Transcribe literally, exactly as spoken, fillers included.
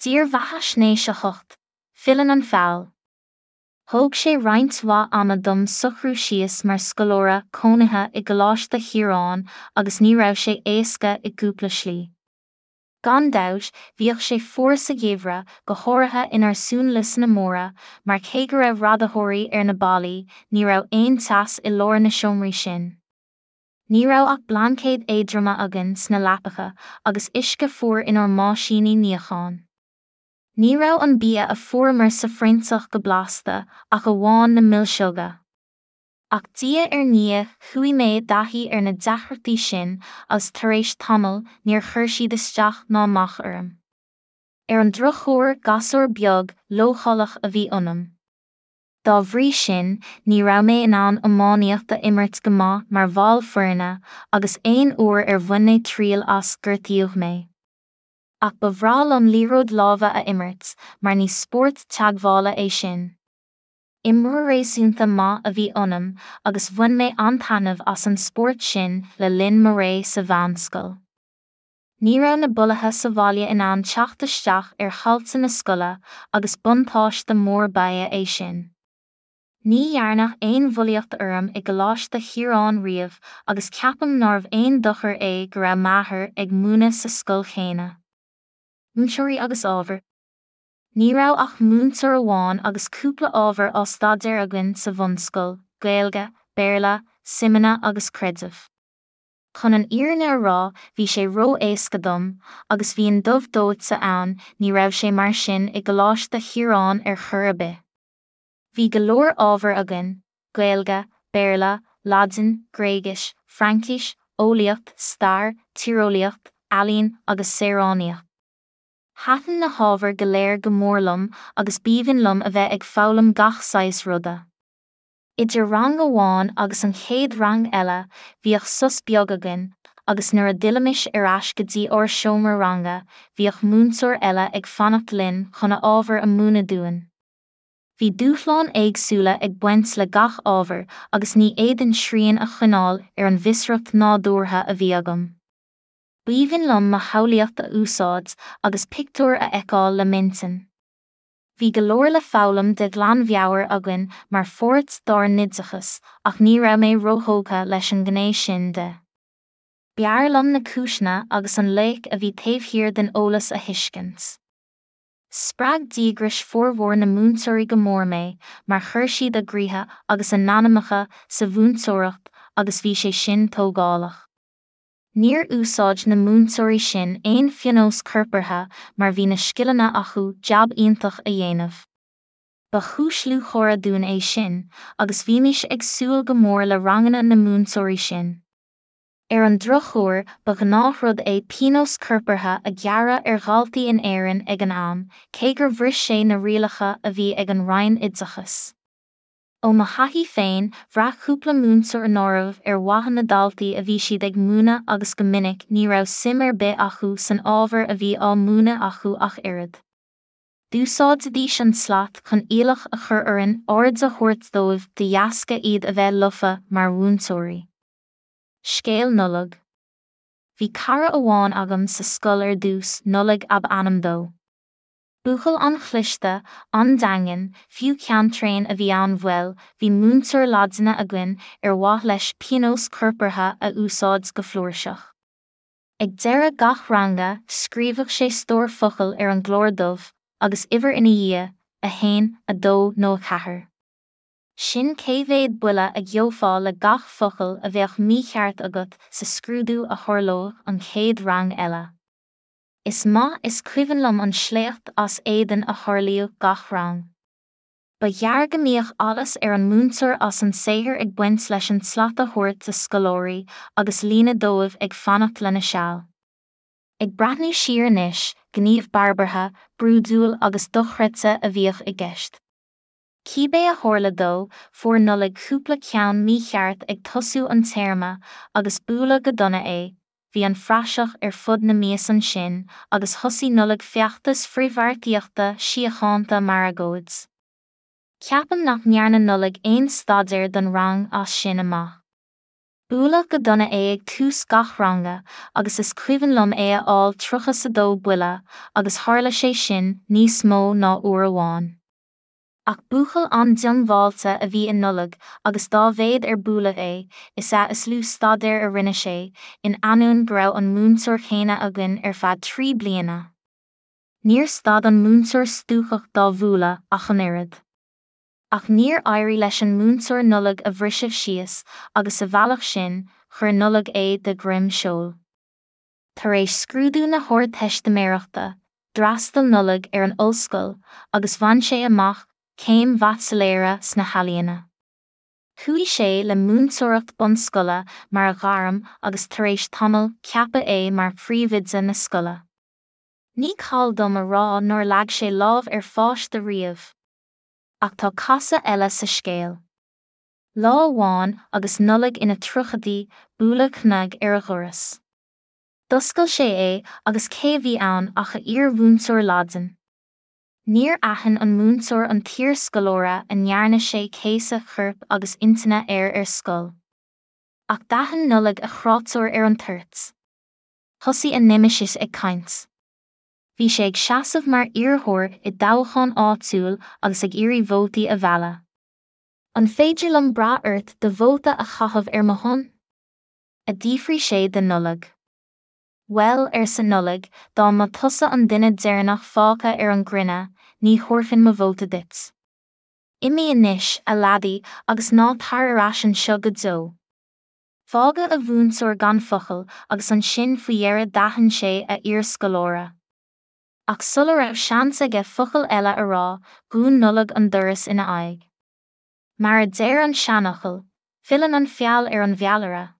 Dírbheathaisnéis a hocht, Filleann an Feall. Thóg sé roinnt mhaith ama dom socrú síos mar scoláire cónaithe i gColáiste Chiaráin agus ní raibh sé éasca i gcúpla slí. Gan dabht, bhíodh sé fuar sa gheimhreadh, go háirithe inár suanliosanna móra, mar cé go raibh radaitheoirí ar na ballaí, ní raibh aon teas i lár na seomraí sin. Ní raibh ach blaincéid éadroma againn sna leapacha agus uisce fuar inár mbáisíní níocháin. Ní raibh an bia a fuaireamar sa phroinnteach go blasta ach amháin na milseoga. Ach diaidh ar ndiaidh chuaigh mé i dtaithí ar na deacrachtaí sin agus tar éis tamaill níor chuir siad isteach ná amach orm. Ar an drochuair gasúr beag leochaileach a bhí ionam. Dá bhrí sin, ní raibh mé in ann iománaíocht a imirt go maith mar bhall foirne agus aon uair ar bhain mé triail as gortaíodh mé. Ach ba bhreá liom liathróid láimhe a imirt, mar ní spórt teagmhála é sin. Imreoir réasúnta maith a bhí ionam agus bhain mé an-taitneamh as an spórt sin le linn mo ré sa mheánscoil. Ní raibh na bulaithe sa bhaile in ann teacht isteach ar thailte na scoile agus buntáiste mór ba ea é sin. Ní dhearnadh aon bhulaíocht orm i gColáiste Chiaráin riamh agus ceapaim nárbh aon dochar é go raibh m'athair ag múineadh sa scoil chéanna. Múinteoirí agus ábhair. Ní raibh ach múinteoir amháin agus cúpla ábhar á staidéar againn sa bhunscoil, Gaeilge, Béarla, Suimeanna agus Creideamh. Chun an fhírinne a rá, bhí sé ró-éasca dom, agus bhí an dubh dóite ann, ní raibh sé mar sin i gColáiste Chiaráin ar chor ar bith. Bhí go leor ábhar againn, Gaeilge, Béarla, Laidin, Gréigis, Fraincis, Eolaíocht, Stair, Tíreolaíocht, Ealaín agus Saoránaíocht. Thaitin na hábhair go léir go mór liom agus b'aoibhinn liom a bheith ag foghlaim gach saghas ruda. Idir rang amháin agus an chéad rang eile, bhíodh sos beag againn, agus nuair a d'fhillimis ar ais go dtí ár seomra ranga, bhíodh múinteoir eile ag fanacht linn chun a ábhar a mhúineadh dúinn. Bhí dúshláin éagsúla ag baint le gach ábhar agus ní fhéadfainn srian a choinneáil ar an bhfiosracht nádúrtha a bhí agam. B'aoibhinn liom mo shamhlaíocht a úsáid agus pictiúir a fheiceáil le m'intinn. Bhí go leor le foghlaim de ghlanmheabhair againn mar pháirt dár n-oideachas ach ní raibh mé róthógtha leis an ngné sin de. B'fhearr liom na cúiseanna agus an loighic a bhí taobh thiar den eolas a thuiscint. Spreag díograis formhór na múinteoirí go mór mé mar chuir siad a gcroíthe agus a n-anamacha sa mhúinteoireacht agus bhí sé sin tógálach. Níor úsáid na múinteoirí sin aon phionós corpartha mar bhí na scileanna acu jab iontach a dhéanamh. Ba chúis lúcháire dúinn é sin, agus bhímis ag súil go mór le ranganna na múinteoirí sin. Ar an drochuair, ba ghnáthrud é pionós corpartha a ghearradh ar dhaltaí in Éirinn ag an am, cé gur bhris sé na rialacha a bhí ag an Roinn Oideachais. Ó mo thaithí féin, bhraith cúpla múinteoir nárbh ar mhaithe na daltaí a bhí siad ag múineadh agus go minic ní raibh suim ar bith acu san ábhar a bhí á múineadh acu ach oiread. D'úsáididís an tslat chun iallach a chur orainn aird a thabhairt dóibh de dheasca iad a bheith lofa mar mhúinteoirí. Scéal Nollag. Bhí cara amháin agam sa scoil ar dtús, Nollaig ab ainm dó. Buachaill an-chliste, an-daingean, fiú ceanntréan a bhí ann bhuel, bhí múinteoir Laidine againn ar mhaith leis pionós corpartha a úsáid go flúirseach. Ag deireadh gach ranga, scríobhadh sé stór focal ar an gclár dubh, agus uimhir ina dhiaidh, a haon, a dó nó a ceathair. Sin cé mhéad buille a gheofá le gach focal a bheadh mícheart agat sa scrúdú a tharlódh an chéad rang eile. Is maith is cuimhin liom an sléacht as éadan a tharlaíodh gach rang. Ba ghearr go mbíodh allas ar an múinteoir as an saothar ag baint leis an tslat a thabhairt do scoláirí agus líne dóibh ag fanacht lena seal. Ag breathnú siar anois, gníomh barbartha, brúidiúil agus dochreidte a bhíodh i gceist. Cibé a tharla dó, fuair Nollaig cúpla ceann mícheart ag tosú an téarma agus bualadh go dona é, bhí an phraiseach ar fud na mias ansin agus thosaigh Nollaig feachtas frithbheartaíochta síochánta mar agóid. Ceapaim nach ndearna Nollaig aon staidéar don rang as sin amach. Buaileadh go dona é ag tús gach ranga agus is cuimhin liom é a fháil tríocha is a dó buille agus tharla sé sin níos mó ná uair amháin. Ach buachaill an-diongbháilte a bhí i Nollaig agus dá mhéad ar buaileadh é, is ea is lú staidéir a rinne sé, in ainneoin go raibh an múinteoir céanna againn ar feadh trí bliana. Níor stad an múinteoir stuacach dá bhualadh ach an oiread. Ach níor éirigh leis an múinteoir Nollaig a bhriseadh síos agus sa bhealach sin, chuir Nollaig é de dhroim seoil. Tar éis scrúdú na hArdteistiméireachta, d'fhreastail Nollaig ar an ollscoil agus bhain sé amach céim bhaitsiléara sna healaíona. Chuaigh sé le múinteoireacht bunscoile mar a ghairm agus tar éis tamaill ceapadh é mar phríomhoide na scoile. Ní call dom a rá nár leag sé lámh ar pháiste riamh. Ach tá casadh eile sa scéal. Lá amháin agus Nollaig ina tríochaidí, buaileadh cnag ar a dhoras. D'oscail sé é agus cé a bhí ann ach a iar-mhúinteoir Laidin. Níor aithin an múinteoir an t-iarscoláire a ndearna sé céasadh coirp agus intinne air ar scoil. Ach d'aithin Nollaig a chreatúr ar an toirt. Thosaigh a neimeasas ag caint. Bhí sé ag seasamh mar iarrthóir i dtoghchán áitiúil agus ag iarraidh vótaí a mhealladh. An féidir liom brath ort do vóta a chaitheamh ar mo shon? a d'fhiafraigh sé de Nollaig. Bhuel, arsa Nollaig, dá mba tusa an duine deireanach fágtha ar an gcruinne, ní thabharfainn mo vóta duit. Imigh anois, a leaidí, agus ná tar ar ais anseo go deo. Fágadh a mhúinteoir gan focal agus ansin faoi dheireadh d'aithin sé a iarscoláire. Ach sula raibh seans aige focal eile a rá, dhún Nollaig an doras ina aghaidh. Mar a deir an seanfhocal, filleann an feall ar an bhfeallaire.